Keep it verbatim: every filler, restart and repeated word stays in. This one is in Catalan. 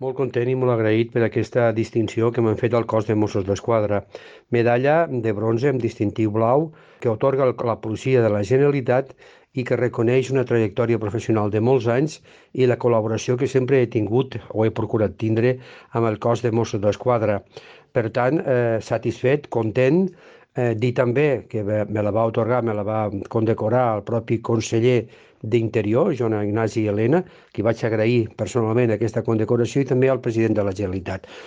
Molt content i molt agraït per aquesta distinció que m'han fet al cos de Mossos d'Esquadra. Medalla de bronze amb distintiu blau que atorga el- la policia de la Generalitat i que reconeix una trajectòria professional de molts anys i la col·laboració que sempre he tingut o he procurat tindre amb el cos de Mossos d'Esquadra. Per tant, eh, satisfet, content, eh, dir també que me me la va otorgar, me la va condecorar el propi conseller d'Interior, Joan Ignasi Elena, qui vaig agrair personalment aquesta condecoració, i també al president de la Generalitat.